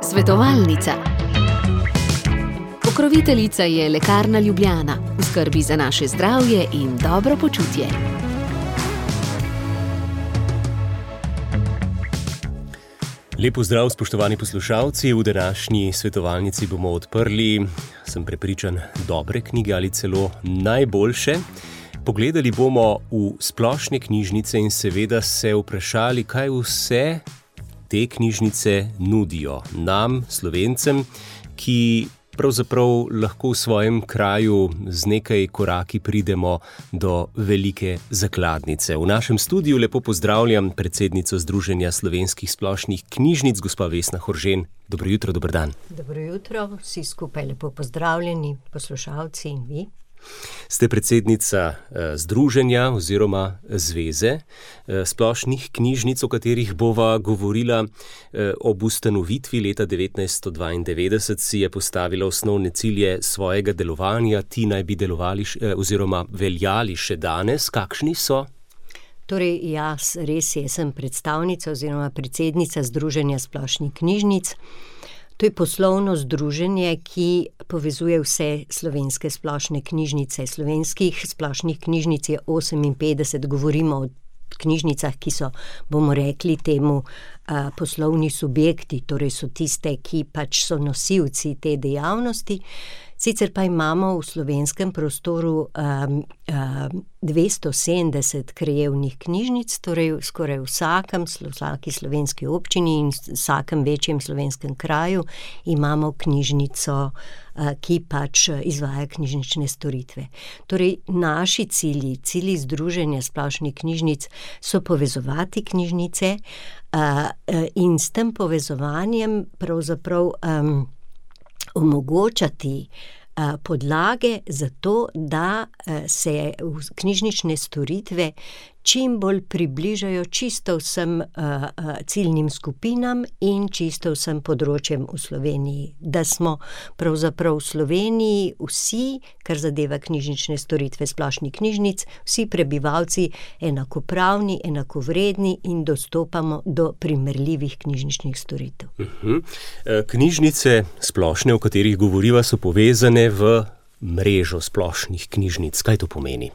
Svetovalnica. Pokroviteljica je Lekarna Ljubljana, v skrbi za naše zdravje in dobro počutje. Lep pozdrav, spoštovani poslušalci. V današnji svetovalnici bomo odprli, sem prepričan, dobre knjige ali celo najboljše. Pogledali bomo v splošne knjižnice in seveda se vprašali, kaj vse te knjižnice nudijo nam, Slovencem, ki pravzaprav lahko v svojem kraju z nekaj koraki pridemo do velike zakladnice. V našem studiu lepo pozdravljam predsednico Združenja slovenskih splošnih knjižnic, gospa Vesna Horžen. Dobro jutro, dober dan. Dobro jutro, vsi skupaj lepo pozdravljeni, poslušalci in vi. Ste predsednica Združenja oziroma Zveze splošnih knjižnic, o katerih bova govorila. Ob ustanovitvi leta 1992 si je postavila osnovne cilje svojega delovanja. Ti naj bi delovali oziroma veljali še danes. Kakšni so? Torej, jaz sem predstavnica oziroma predsednica Združenja splošnih knjižnic. To je poslovno združenje, ki povezuje vse slovenske splošne knjižnice. Slovenskih splošnih knjižnic je 58, govorimo o knjižnicah, ki so, bomo rekli temu, poslovni subjekti, torej so tiste, ki pač so nosilci te dejavnosti. Sicer pa imamo v slovenskem prostoru 270 krajevnih knjižnic, torej skoraj vsaki slovenski občini in vsakem večjem slovenskem kraju imamo knjižnico, ki pač izvaja knjižnične storitve. Torej, naši cilji Združenja splošnih knjižnic so povezovati knjižnice in s tem povezovanjem pravzaprav omogočati podlage za to, da se knjižnične storitve čim bolj približajo čisto vsem ciljnim skupinam in čisto vsem področjem v Sloveniji. Da smo pravzaprav v Sloveniji vsi, kar zadeva knjižnične storitve splošnih knjižnic, vsi prebivalci enakopravni, enakovredni in dostopamo do primerljivih knjižničnih storitev. Knjižnice splošne, o katerih govoriva, so povezane v mrežo splošnih knjižnic. Kaj to pomeni?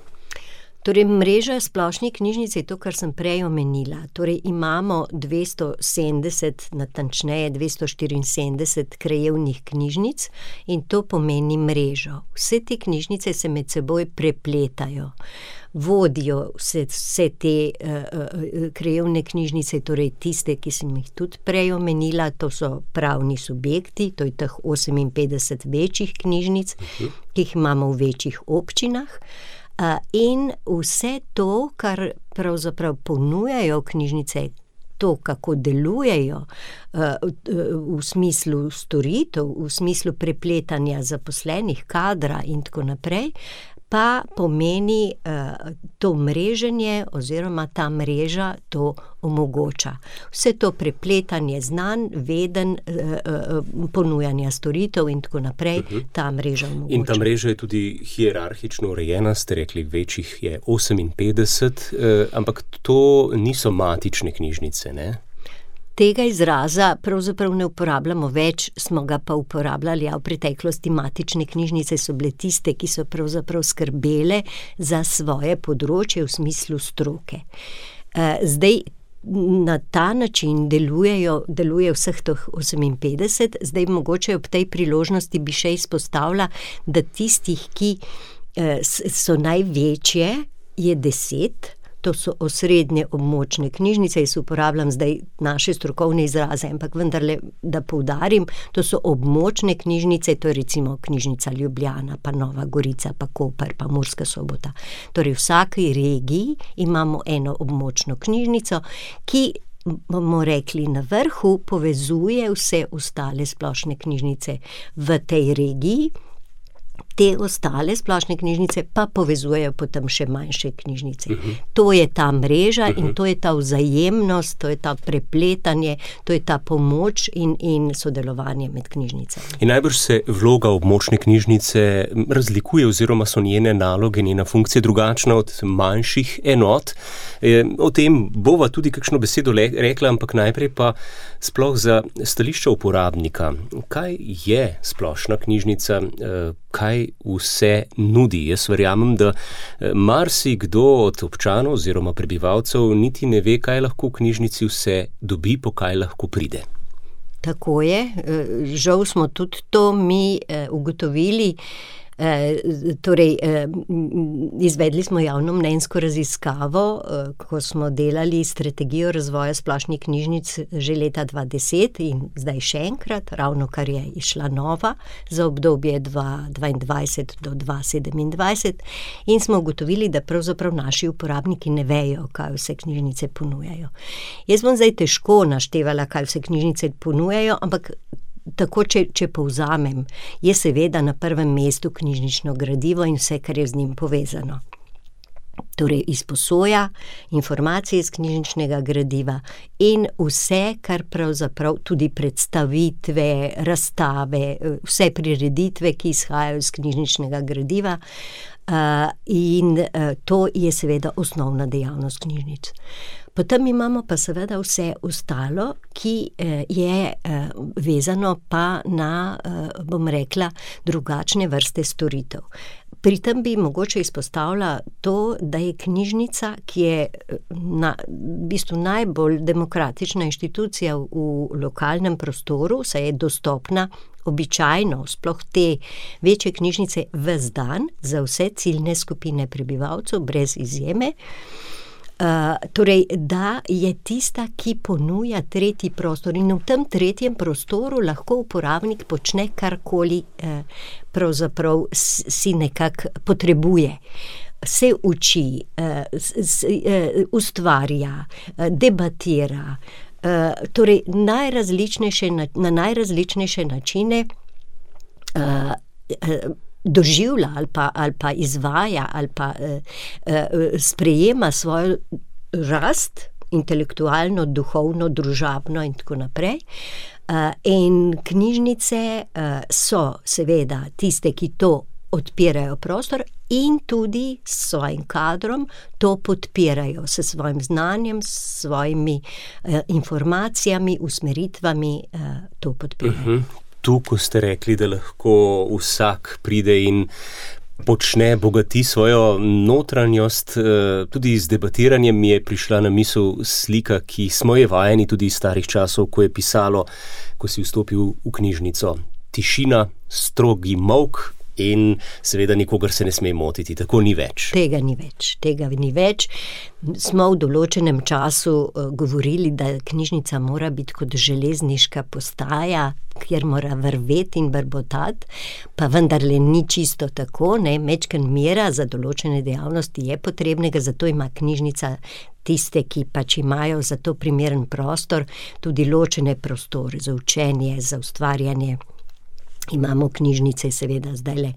Torej, mreža splošnih knjižnic je to, kar sem prej omenila. Torej, imamo 270, natančneje 274 krajevnih knjižnic in to pomeni mrežo. Vse te knjižnice se med seboj prepletajo. Vodijo vse te krajevne knjižnice, torej tiste, ki sem jih tudi prej omenila, to so pravni subjekti, to je teh 58 večjih knjižnic, ki jih imamo v večjih občinah. In vse to, kar pravzaprav ponujajo knjižnice, to, kako delujejo v smislu storitev, v smislu prepletanja zaposlenih, kadra in tako naprej, pa pomeni to mreženje oziroma ta mreža to omogoča. Vse to prepletanje znanj, vedenj, ponujanja storitev in tako naprej, ta mreža omogoča. In ta mreža je tudi hierarhično urejena, ste rekli, večjih je 58, ampak to niso matične knjižnice, ne? Tega izraza pravzaprav ne uporabljamo več, smo ga pa uporabljali, v preteklosti matične knjižnice so bile tiste, ki so pravzaprav skrbele za svoje področje v smislu stroke. Zdaj na ta način deluje vseh teh 58, zdaj mogoče ob tej priložnosti bi še izpostavila, da tistih, ki so največje, je 10. To so osrednje območne knjižnice, jaz uporabljam zdaj naše strokovne izraze, ampak vendarle, da poudarim, to so območne knjižnice, to je recimo knjižnica Ljubljana, pa Nova Gorica, pa Koper, pa Murska Sobota. Torej v vsaki regiji imamo eno območno knjižnico, ki, bomo rekli, na vrhu povezuje vse ostale splošne knjižnice v tej regiji. Te ostale splošne knjižnice pa povezujejo potem še manjše knjižnice. To je ta mreža in to je ta vzajemnost, to je ta prepletanje, to je ta pomoč in sodelovanje med knjižnicami. In najbrž se vloga območne knjižnice razlikuje oziroma so njene naloge, njena funkcija drugačna od manjših enot. O tem bova tudi kakšno besedo rekla, ampak najprej pa sploh za stališča uporabnika. Kaj je splošna knjižnica? Kaj vse nudi? Jaz verjamem, da marsikdo od občanov oziroma prebivalcev niti ne ve, kaj lahko v knjižnici vse dobi, po kaj lahko pride. Tako je. Žal smo tudi to mi ugotovili. Izvedli smo javnomnenjsko raziskavo, ko smo delali strategijo razvoja splošnih knjižnic že leta 2010 in zdaj še enkrat, ravno kar je išla nova za obdobje 2022 do 2027 in smo ugotovili, da pravzaprav naši uporabniki ne vejo, kaj vse knjižnice ponujajo. Jaz bom zdaj težko naštevala, kaj vse knjižnice ponujajo, ampak tako, če povzamem, je seveda na prvem mestu knjižnično gradivo in vse, kar je z njim povezano. Torej, izposoja informacije iz knjižničnega gradiva in vse, kar pravzaprav tudi predstavitve, razstave, vse prireditve, ki izhajajo iz knjižničnega gradiva, in to je seveda osnovna dejavnost knjižnic. Potem imamo pa seveda vse ostalo, ki je vezano pa na, bom rekla, drugačne vrste storitev. Pri tem bi mogoče izpostavila to, da je knjižnica, ki je v bistvu najbolj demokratična inštitucija v lokalnem prostoru, saj je dostopna običajno, sploh te večje knjižnice ves dan za vse ciljne skupine prebivalcev, brez izjeme. Torej, da je tista, ki ponuja tretji prostor in v tem tretjem prostoru lahko uporabnik počne karkoli pravzaprav si nekako potrebuje. Se uči, ustvarja, debatira, torej na najrazličnejše načine doživlja ali pa izvaja ali pa sprejema svojo rast, intelektualno, duhovno, družabno in tako naprej. In knjižnice so seveda tiste, ki to odpirajo prostor in tudi s svojim kadrom to podpirajo, s svojim znanjem, s svojimi informacijami, usmeritvami to podpirajo. Tu, ko ste rekli, da lahko vsak pride in počne bogati svojo notranjost, tudi z debatiranjem mi je prišla na misel slika, ki smo je vajeni tudi iz starih časov, ko je pisalo, ko si vstopil v knjižnico. Tišina, strogi molk in seveda nikogar se ne sme motiti. Tako ni več. Tega ni več. Smo v določenem času govorili, da knjižnica mora biti kot železniška postaja, kjer mora vrveti in brbotati, pa vendarle ni čisto tako, ne, majčkeno mera za določene dejavnosti je potrebnega, zato ima knjižnica tiste, ki pač imajo za to primeren prostor, tudi ločene prostore za učenje, za ustvarjanje. Imamo knjižnice seveda zdajle,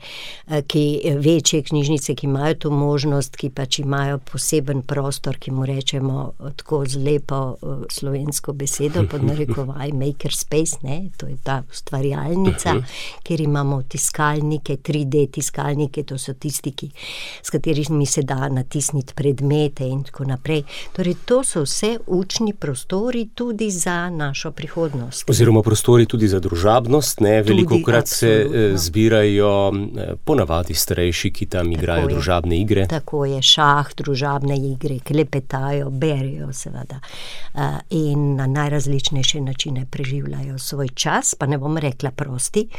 večje knjižnice, ki imajo to možnost, ki pač imajo poseben prostor, ki mu rečemo tako z lepo slovensko besedo, pod narekovaj makerspace, ne, to je ta ustvarjalnica, kjer imamo tiskalnike, 3D tiskalnike, to so tisti, s katerimi se da natisniti predmete in tako naprej. Torej, to so vse učni prostori tudi za našo prihodnost. Oziroma prostori tudi za družabnost, ne, velikokrat se zbirajo ponavadi starejši, ki tam igrajo družabne igre. Tako je, šah, družabne igre, klepetajo, berijo seveda in na najrazličnejše načine preživljajo svoj čas, pa ne bom rekla prosti,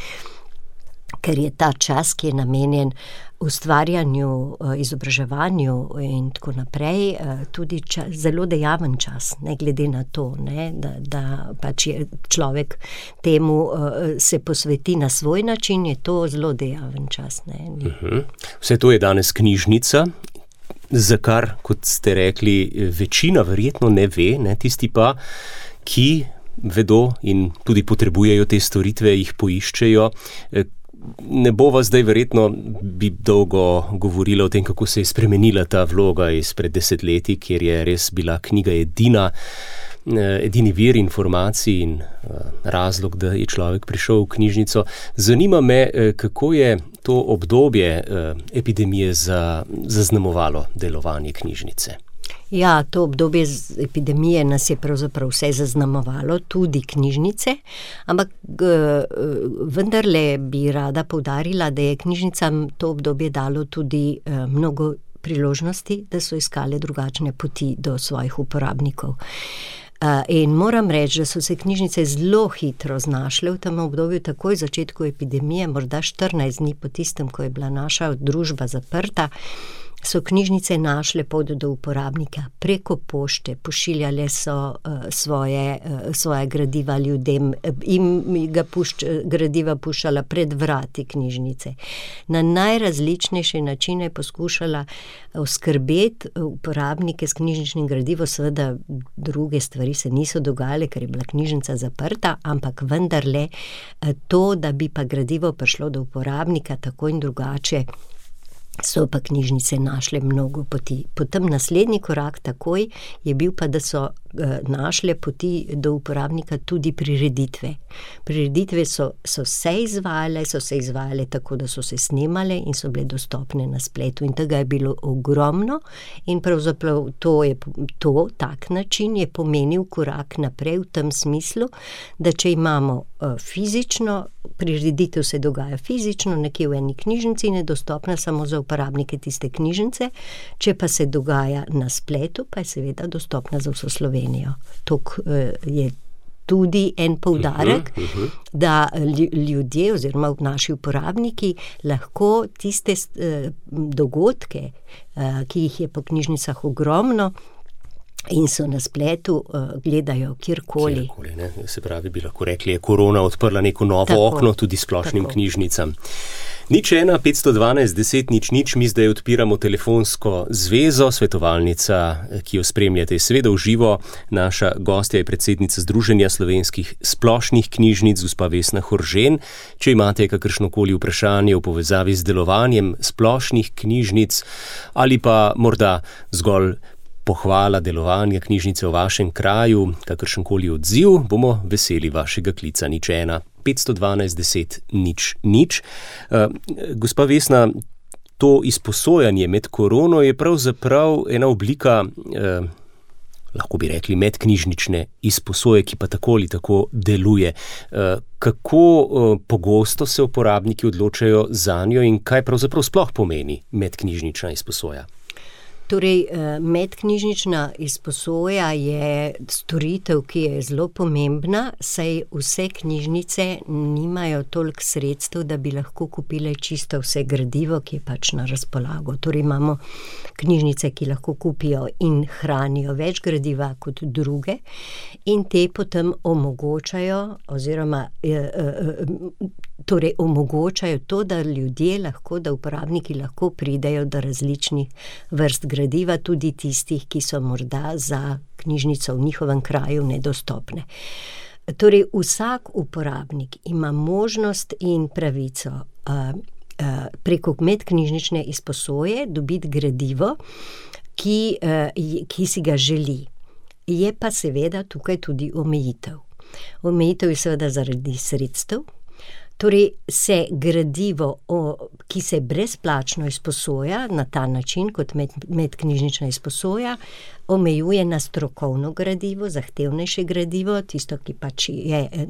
ker je ta čas, ki je namenjen ustvarjanju, izobraževanju in tako naprej, tudi zelo dejaven čas, ne glede na to, ne, da pač je človek temu se posveti na svoj način, je to zelo dejaven čas. Ne. Vse to je danes knjižnica, za kar, kot ste rekli, večina verjetno ne ve, ne, tisti pa, ki vedo in tudi potrebujejo te storitve, jih poiščejo. ne bova zdaj verjetno bi dolgo govorila o tem, kako se je spremenila ta vloga izpred desetletij, kjer je res bila knjiga edini vir informacij in razlog, da je človek prišel v knjižnico. Zanima me, kako je to obdobje epidemije zaznamovalo delovanje knjižnice. Ja, to obdobje epidemije nas je pravzaprav vse zaznamovalo, tudi knjižnice, ampak vendarle bi rada poudarila, da je knjižnicam to obdobje dalo tudi mnogo priložnosti, da so iskale drugačne poti do svojih uporabnikov. In moram reči, da so se knjižnice zelo hitro znašle v tem obdobju, takoj v začetku epidemije, morda 14 dni po tistem, ko je bila naša družba zaprta, so knjižnice našle pot do uporabnika preko pošte, pošiljale so svoje gradiva ljudem, gradiva puščala pred vrati knjižnice. Na najrazličnejše načine poskušala oskrbeti uporabnike s knjižničnim gradivom, seveda druge stvari se niso dogajale, ker je bila knjižnica zaprta, ampak vendarle to, da bi pa gradivo prišlo do uporabnika tako in drugače, so pa knjižnice našle mnogo poti. Potem naslednji korak takoj je bil pa, da so našle poti do uporabnika tudi prireditve. Prireditve so se izvajale tako, da so se snemale in so bile dostopne na spletu. In tega je bilo ogromno in pravzaprav tak način je pomenil korak naprej v tem smislu, da če imamo fizično, prireditev se dogaja fizično, nekje v eni knjižnici in je dostopna samo za uporabnike tiste knjižnice, če pa se dogaja na spletu, pa je seveda dostopna za vso Slovenijo. To je tudi en poudarek, da ljudje oziroma naši uporabniki lahko tiste dogodke, ki jih je po knjižnicah ogromno, in so na spletu, gledajo kjerkoli. Se pravi, bi lahko rekli, je korona odprla neko novo okno tudi splošnim knjižnicam. 01 512 10 00, mi zdaj odpiramo telefonsko zvezo, svetovalnica, ki jo spremljate, je seveda v živo. Naša gostja je predsednica Združenja slovenskih splošnih knjižnic, gospa Vesna Horžen. Če imate kakršnokoli vprašanje v povezavi z delovanjem splošnih knjižnic ali pa morda zgolj pohvala delovanja knjižnice v vašem kraju, kakršenkoli odziv, bomo veseli vašega klica. 01 512 10 00. Gospa Vesna, to izposojanje med korono je pravzaprav ena oblika, lahko bi rekli, medknjižnične izposoje, ki pa tako ali tako deluje. Kako pogosto se uporabniki odločajo zanjo in kaj pravzaprav sploh pomeni medknjižnična izposoja? Torej, medknjižnična izposoja je storitev, ki je zelo pomembna, saj vse knjižnice nimajo toliko sredstev, da bi lahko kupile čisto vse gradivo, ki je pač na razpolago. Torej, imamo knjižnice, ki lahko kupijo in hranijo več gradiva kot druge in te potem omogočajo oziroma omogočajo to, da ljudje lahko, da uporabniki lahko pridejo do različnih vrst gradiva, tudi tistih, ki so morda za knjižnico v njihovem kraju nedostopne. Torej, vsak uporabnik ima možnost in pravico preko medknjižnične izposoje dobiti gradivo, ki si ga želi. Je pa seveda tukaj tudi omejitev. Omejitev je seveda zaradi sredstev. Torej, se gradivo, ki se brezplačno izposoja na ta način, kot medknjižnična izposoja, omejuje na strokovno gradivo, zahtevnejše gradivo, tisto, ki pač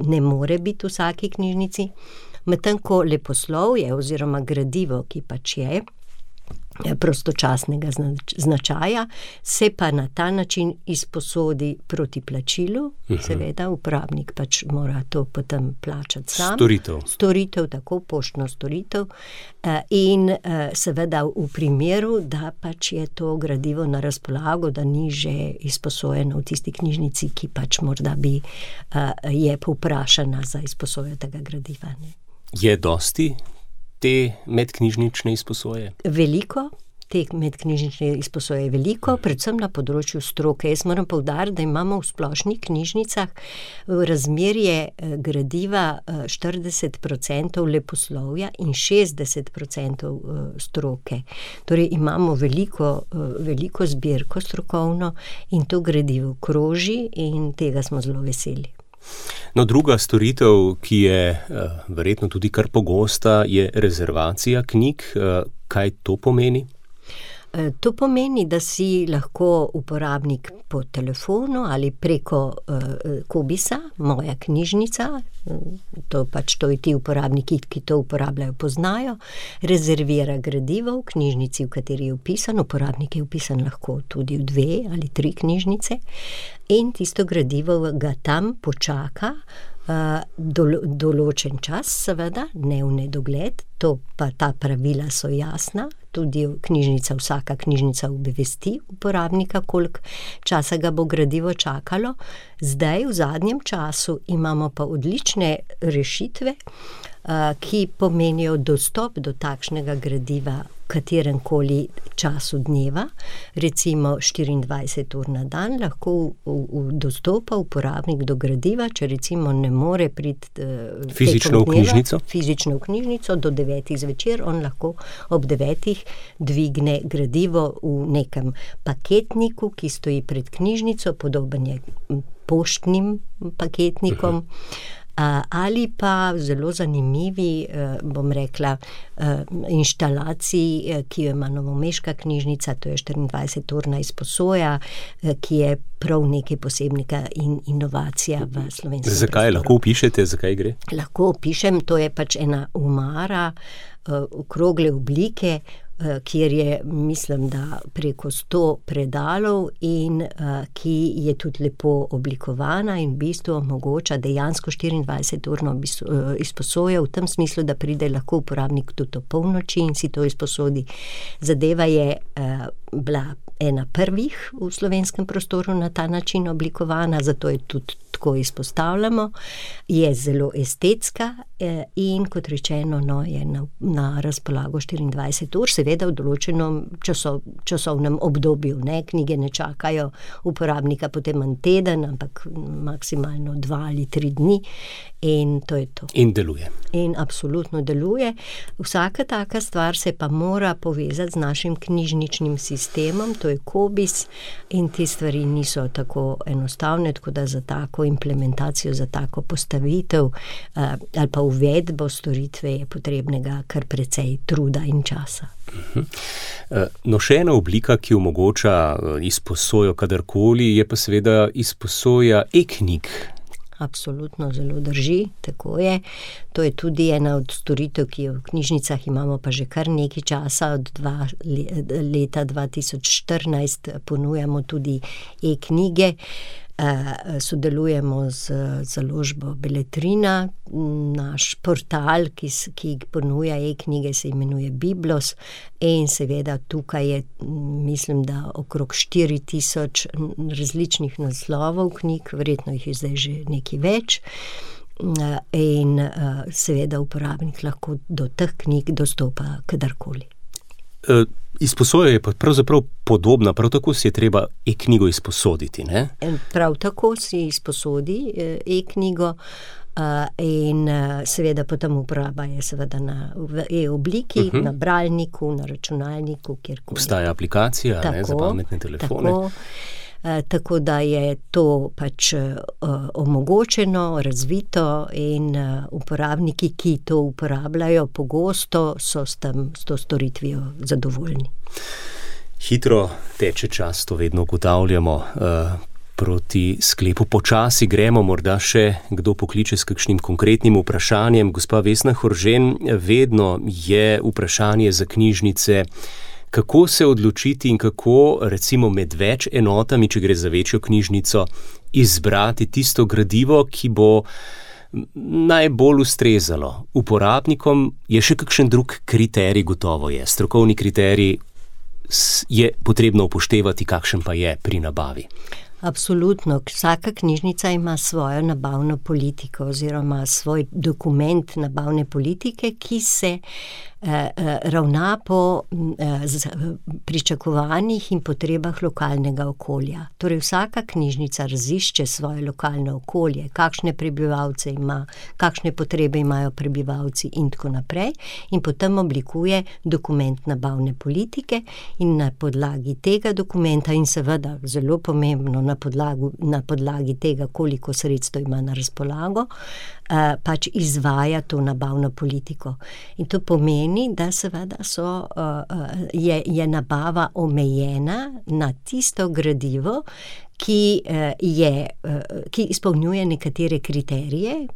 ne more biti v vsaki knjižnici, medtem ko leposlovje oziroma gradivo, ki pač je prostočasnega značaja, se pa na ta način izposodi proti plačilu. Seveda, uporabnik pač mora to potem plačati sam. Storitev, tako poštno storitev. In seveda v primeru, da pač je to gradivo na razpolago, da ni že izposojeno v tisti knjižnici, ki pač morda je povprašana za izposojo tega gradiva. Ne? Je dosti te medknjižnične izposoje? Veliko, te medknjižnične izposoje je veliko, predvsem na področju stroke. Jaz moram poudariti, da imamo v splošnih knjižnicah razmerje gradiva 40% leposlovja in 60% stroke. Torej imamo veliko zbirko strokovno in to gradivo kroži in tega smo zelo veseli. No, druga storitev, ki je verjetno tudi kar pogosta, je rezervacija knjig. Kaj to pomeni? To pomeni, da si lahko uporabnik po telefonu ali preko Cobisa, moja knjižnica, to je ti uporabniki, ki to uporabljajo, poznajo, rezervira gradivo v knjižnici, v kateri je vpisan. Uporabnik je vpisan lahko tudi v 2 ali 3 knjižnice in tisto gradivo ga tam počaka določen čas, seveda, ne v nedogled, ta pravila so jasna, tudi vsaka knjižnica obvesti uporabnika, koliko časa ga bo gradivo čakalo. Zdaj, v zadnjem času, imamo pa odlične rešitve, ki pomenijo dostop do takšnega gradiva v kateremkoli času dneva, recimo 24 ur na dan, lahko dostopa uporabnik do gradiva, če recimo ne more priti fizično v knjižnico do 9 zvečer, on lahko ob 9 dvigne gradivo v nekem paketniku, ki stoji pred knjižnico, podoben je poštnim paketnikom, ali pa zelo zanimivi, bom rekla, inštalaciji, ki jo ima novomeška knjižnica, to je 24-urna izposoja, ki je prav nekaj posebnega in inovacija v slovenskem prostoru. Zakaj? Lahko opišete, zakaj gre? Lahko opišem, to je pač ena omara okrogle oblike, kjer je, mislim, da preko 100 predalov in ki je tudi lepo oblikovana in v bistvu omogoča dejansko 24-urno izposojo, v tem smislu, da pride lahko uporabnik tudi o polnoči in si to izposodi. Zadeva je bila ena prvih v slovenskem prostoru na ta način oblikovana, zato je tudi tako izpostavljamo, je zelo estetska in kot rečeno, je na razpolago 24 ur, seveda v določenem časovnem obdobju, ne, knjige ne čakajo uporabnika potem en teden, ampak maksimalno 2 ali 3 dni in to je to. In deluje. In absolutno deluje. Vsaka taka stvar se pa mora povezati z našim knjižničnim sistemom, to je Cobis in te stvari niso tako enostavne, tako da za tako implementacijo, za tako postavitev ali pa uvedbo storitve je potrebnega kar precej truda in časa. No, še ena oblika, ki omogoča izposojo kadarkoli, je pa seveda izposoja e-knjig. Absolutno, zelo drži, tako je. To je tudi ena od storitev, ki jo v knjižnicah imamo pa že kar nekaj časa, od leta 2014 ponujamo tudi e-knjige. Sodelujemo z založbo Beletrina, naš portal, ki ponuja e-knjige, se imenuje Biblos in seveda tukaj je, mislim, da okrog 4000 različnih naslovov knjig, verjetno jih je zdaj že nekaj več in seveda uporabnik lahko do teh knjig dostopa kadarkoli. Izposoja je pa pravzaprav podobna, prav tako si je treba e-knjigo izposoditi, ne? Prav tako si izposodi e-knjigo in seveda potem uporaba je seveda v e-obliki, na bralniku, na računalniku, kjerkoli. Obstaja aplikacija, ne, za pametne telefone. Tako da je to pač omogočeno, razvito in uporabniki, ki to uporabljajo pogosto, so s to storitvijo zadovoljni. Hitro teče čas, to vedno ugotavljamo. Proti sklepu počasi gremo, morda še kdo pokliče s kakšnim konkretnim vprašanjem. Gospa Vesna Horžen, vedno je vprašanje za knjižnice, kako se odločiti in kako, recimo med več enotami, če gre za večjo knjižnico, izbrati tisto gradivo, ki bo najbolj ustrezalo uporabnikom. Je še kakšen drug kriterij, gotovo je. Strokovni kriterij je potrebno upoštevati, kakšen pa je pri nabavi. Absolutno. Vsaka knjižnica ima svojo nabavno politiko oziroma svoj dokument nabavne politike, ki se ravna po pričakovanjih in potrebah lokalnega okolja. Torej vsaka knjižnica razišče svoje lokalno okolje, kakšne prebivalce ima, kakšne potrebe imajo prebivalci in tako naprej, in potem oblikuje dokument nabavne politike in na podlagi tega dokumenta in seveda zelo pomembno na podlagi tega, koliko sredstev ima na razpolago, pač izvaja to nabavno politiko. In to pomeni, da seveda je nabava omejena na tisto gradivo, ki izpolnjuje nekatere kriterije.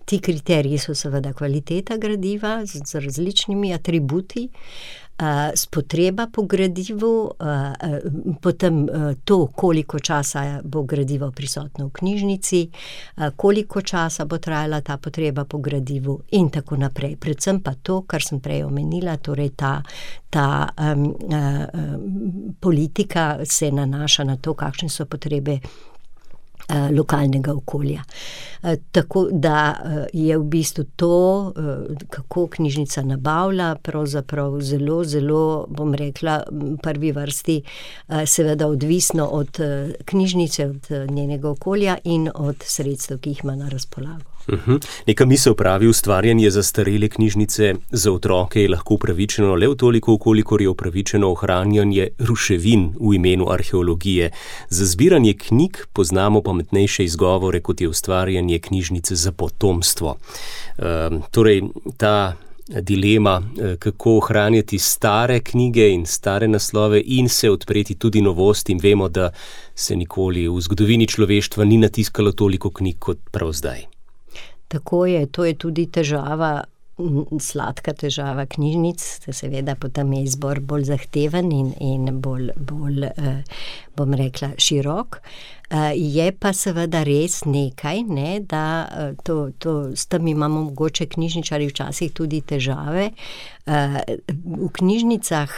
Ti kriteriji so seveda kvaliteta gradiva z različnimi atributi, potreba po gradivu, potem to, koliko časa bo gradivo prisotno v knjižnici, koliko časa bo trajala ta potreba po gradivu in tako naprej. Predvsem pa to, kar sem prej omenila, torej ta politika se nanaša na to, kakšne so potrebe lokalnega okolja. Tako da je v bistvu to, kako knjižnica nabavlja, pravzaprav zelo, zelo, bom rekla, v prvi vrsti seveda odvisno od knjižnice, od njenega okolja in od sredstev, ki jih ima na razpolago. Neka misel pravi, ustvarjanje zastarele knjižnice za otroke je lahko upravičeno le v toliko, kolikor je upravičeno ohranjanje ruševin v imenu arheologije. Za zbiranje knjig poznamo pametnejše izgovore, kot je ustvarjanje knjižnice za potomstvo. Torej, ta dilema, kako ohranjati stare knjige in stare naslove in se odpreti tudi novostim. Vemo, da se nikoli v zgodovini človeštva ni natiskalo toliko knjig kot prav zdaj. Tako je, to je tudi težava, sladka težava knjižnic, seveda potem je izbor bolj zahteven in bolj bom rekla, širok. Je pa seveda res nekaj, ne, da s tem imamo mogoče knjižničarji včasih tudi težave. V knjižnicah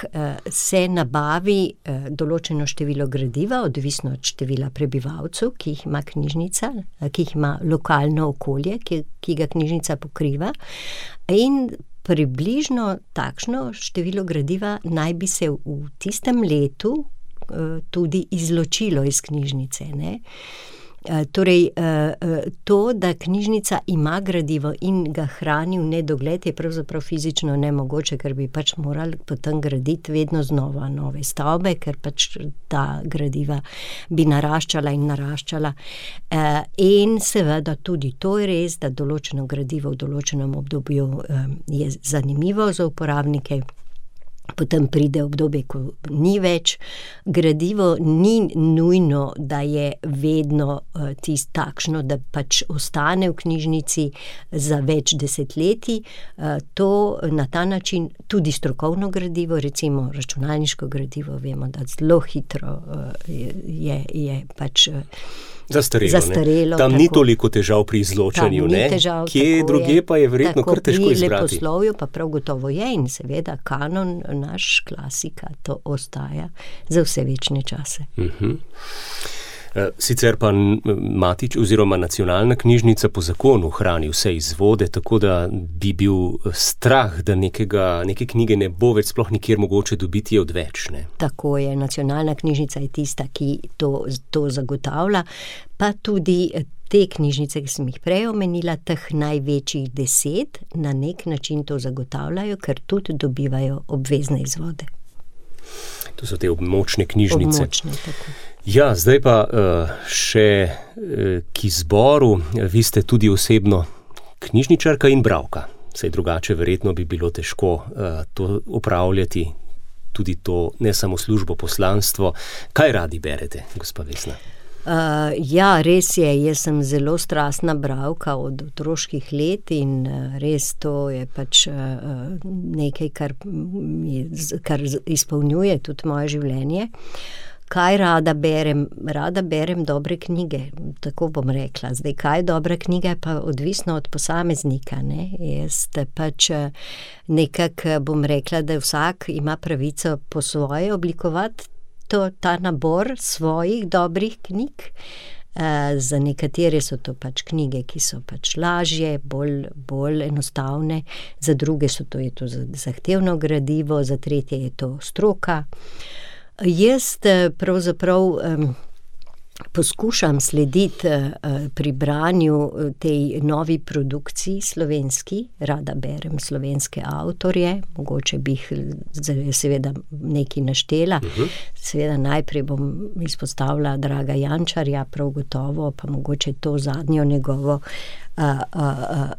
se nabavi določeno število gradiva, odvisno od števila prebivalcev, ki jih ima knjižnica, ki jih ima lokalno okolje, ki ga knjižnica pokriva, in približno takšno število gradiva naj bi se v tistem letu tudi izločilo iz knjižnice, ne. Torej, to, da knjižnica ima gradivo in ga hrani v nedogled, je pravzaprav fizično nemogoče, ker bi pač morali potem graditi vedno znova nove stavbe, ker pač ta gradiva bi naraščala in naraščala. In seveda tudi to je res, da določeno gradivo v določenem obdobju je zanimivo za uporabnike. Potem pride obdobje, ko ni več. Gradivo ni nujno, da je vedno takšno, da pač ostane v knjižnici za več desetletij. To na ta način tudi strokovno gradivo, recimo računalniško gradivo, vemo, da zelo hitro je pač zastarelo. Tam ni toliko težav pri izločanju, ne? Kje drugje pa je verjetno kar težko izbrati. Pri leposlovju pa prav gotovo je in seveda kanon, naš klasika, to ostaja za vse večne čase. Sicer pa Matič oziroma Nacionalna knjižnica po zakonu hrani vse izvode, tako da bi bil strah, da neke knjige ne bo več sploh nikjer mogoče dobiti odveč, ne? Tako je, Nacionalna knjižnica je tista, ki to zagotavlja, pa tudi te knjižnice, ki sem jih prej omenila, teh največjih 10, na nek način to zagotavljajo, ker tudi dobivajo obvezne izvode. To so te območne knjižnice. Območne, tako. Ja, zdaj pa še k izboru. Vi ste tudi osebno knjižničarka in bralka. Saj drugače verjetno bi bilo težko to opravljati, tudi to ne samo službo, poslanstvo. Kaj radi berete, gospa Vesna? Ja, res je. Jaz sem zelo strastna bralka od otroških let in res to je pač nekaj, kar izpolnjuje tudi moje življenje. Kaj rada berem? Rada berem dobre knjige, tako bom rekla. Zdaj, kaj je dobra knjiga, je pa odvisno od posameznika, ne. Jaz pač nekako bom rekla, da vsak ima pravico po svoje oblikovati ta nabor svojih dobrih knjig. Za nekatere so to pač knjige, ki so pač lažje, bolj enostavne, za druge je to zahtevno gradivo, za tretje je to stroka. Jaz pravzaprav poskušam slediti pri branju tej novi produkciji slovenski, rada berem slovenske avtorje, mogoče bi jih seveda nekaj naštela. Seveda najprej bom izpostavila Draga Jančarja, prav gotovo, pa mogoče to zadnjo njegovo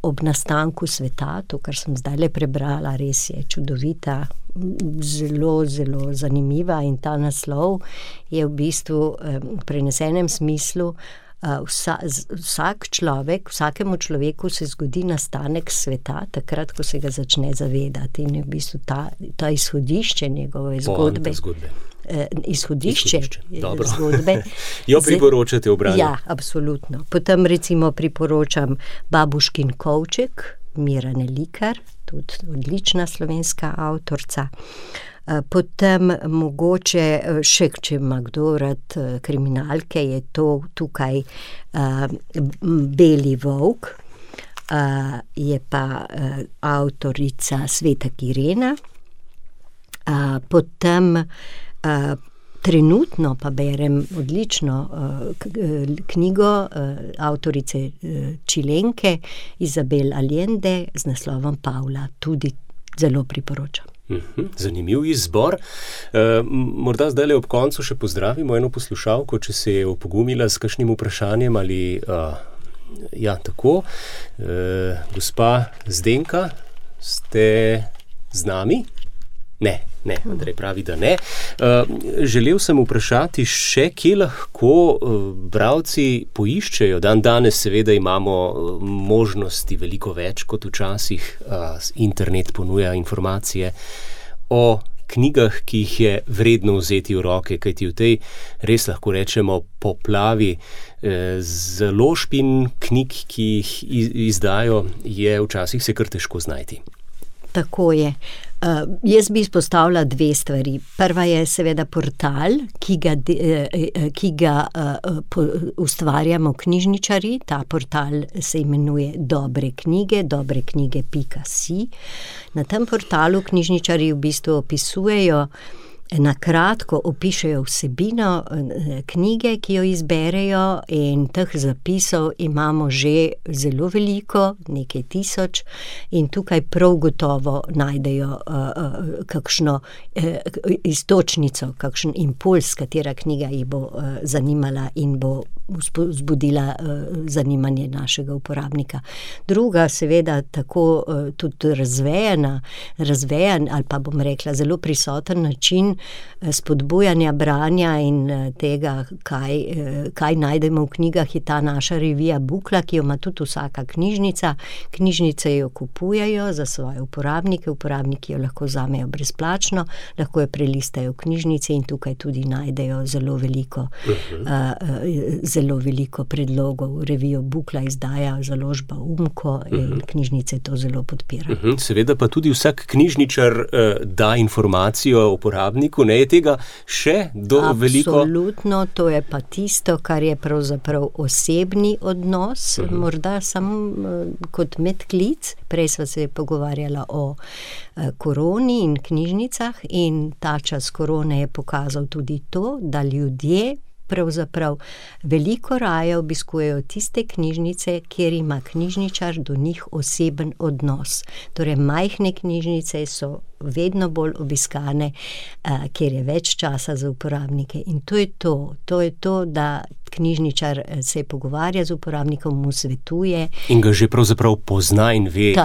Ob nastanku sveta, to, kar sem zdajle prebrala, res je čudovita, zelo, zelo zanimiva, in ta naslov je v bistvu v prenesenem smislu vsak človek, vsakemu človeku se zgodi nastanek sveta takrat, ko se ga začne zavedati, in je v bistvu ta izhodišče njegove zgodbe. Izhodišče zgodbe. Jo priporočate v branju? Ja, absolutno. Potem recimo priporočam Babuškin kovček, Mirane Likar, tudi odlična slovenska avtorica. Potem mogoče še, če ima kdo rad kriminalke, je to tukaj Beli volk, je pa avtorica Sveta Kirena. Potem trenutno pa berem odlično knjigo avtorice Čilenke Izabel Allende z naslovom Pavla, tudi zelo priporočam. Zanimiv izbor. Morda zdaj ob koncu še pozdravimo eno poslušalko, če se je opogumila s kakšnim vprašanjem ali ja, tako. Gospa Zdenka, ste z nami? Ne, Andrej pravi, da ne. Želel sem vprašati še, kje lahko bralci poiščejo. Danes seveda imamo možnosti veliko več kot včasih. Internet ponuja informacije o knjigah, ki jih je vredno vzeti v roke, kajti v tej, res lahko rečemo, poplavi založb in knjig, ki jih izdajo, je včasih se kar težko znajti. Tako je. Jaz bi izpostavila dve stvari. Prva je seveda portal, ki ga ustvarjamo knjižničarji. Ta portal se imenuje dobreknjige.si. Na tem portalu knjižničarji v bistvu opisujejo, na kratko opišejo vsebino knjige, ki jo izberejo, in teh zapisov imamo že zelo veliko, nekaj tisoč, in tukaj prav gotovo najdejo kakšno iztočnico, kakšen impuls, katera knjiga jih bo zanimala in bo vzbudila zanimanje našega uporabnika. Druga, seveda, tako tudi razvejan ali pa bom rekla zelo prisoten način spodbujanja branja in tega, kaj najdemo v knjigah, je ta naša revija Bukla, ki jo ima tudi vsaka knjižnica. Knjižnice jo kupujejo za svoje uporabnike, uporabniki jo lahko vzamejo brezplačno, lahko jo prelistajo v knjižnici in tukaj tudi najdejo zelo veliko predlogov. Revijo Bukla izdaja založba Umko in knjižnice to zelo podpira. Seveda pa tudi vsak knjižničar da informacijo uporabniku, ne je tega še veliko? Absolutno, to je pa tisto, kar je pravzaprav osebni odnos, morda samo kot medklic. Prej sva se pogovarjala o koroni in knjižnicah, in ta čas korone je pokazal tudi to, da ljudje pravzaprav veliko raje obiskujejo tiste knjižnice, kjer ima knjižničar do njih oseben odnos. Torej, majhne knjižnice so vedno bolj obiskane, kjer je več časa za uporabnike. In to je to, da knjižničar se pogovarja z uporabnikom, mu svetuje. In ga že pravzaprav pozna in ve,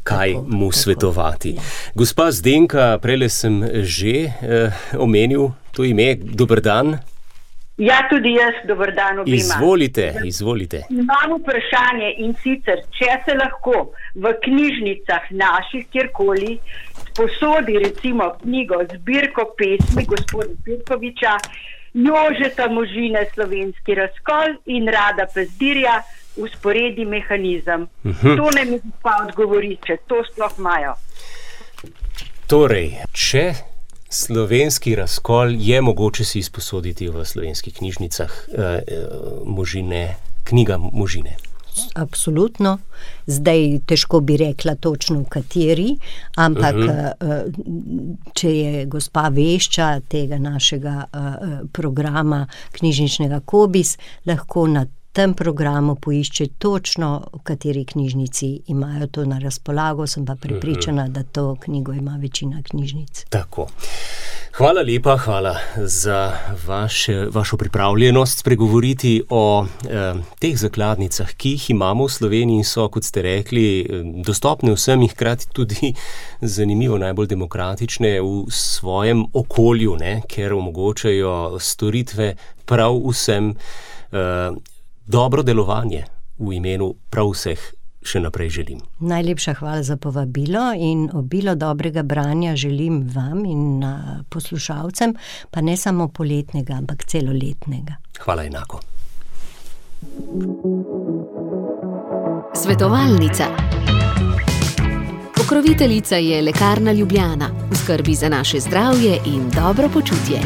kaj mu svetovati. Ja. Gospa Zdenka, prejle sem že omenil to ime. Dober dan. Ja, tudi jaz, dober dan obima. Izvolite. Imam vprašanje, in sicer, če se lahko v knjižnicah naših kjerkoli posodi recimo knjigo zbirko pesmi gospoda Pirkoviča, Jožeta Možine Slovenski razkol in Rada Pezdirja Usporedi mehanizem. To ne mi pa odgovori, če to sploh imajo. Torej, če Slovenski razkol je mogoče si izposoditi v slovenskih knjižnicah, knjiga Možine. Absolutno. Zdaj težko bi rekla točno v kateri, ampak če je gospa vešča tega našega programa knjižničnega Kobis, lahko na tem programu poišče točno, v kateri knjižnici imajo to na razpolago, sem pa prepričana, da to knjigo ima večina knjižnic. Tako. Hvala lepa, hvala za vašo pripravljenost spregovoriti o teh zakladnicah, ki jih imamo v Sloveniji in so, kot ste rekli, dostopne vsem in hkrati tudi zanimivo najbolj demokratične v svojem okolju, ker omogočajo storitve prav vsem, dobro delovanje v imenu prav vseh še naprej želim. Najlepša hvala za povabilo in obilo dobrega branja želim vam in poslušalcem, pa ne samo poletnega, ampak celoletnega. Hvala enako. Svetovalnica. Pokroviteljica je Lekarna Ljubljana, v skrbi za naše zdravje in dobro počutje.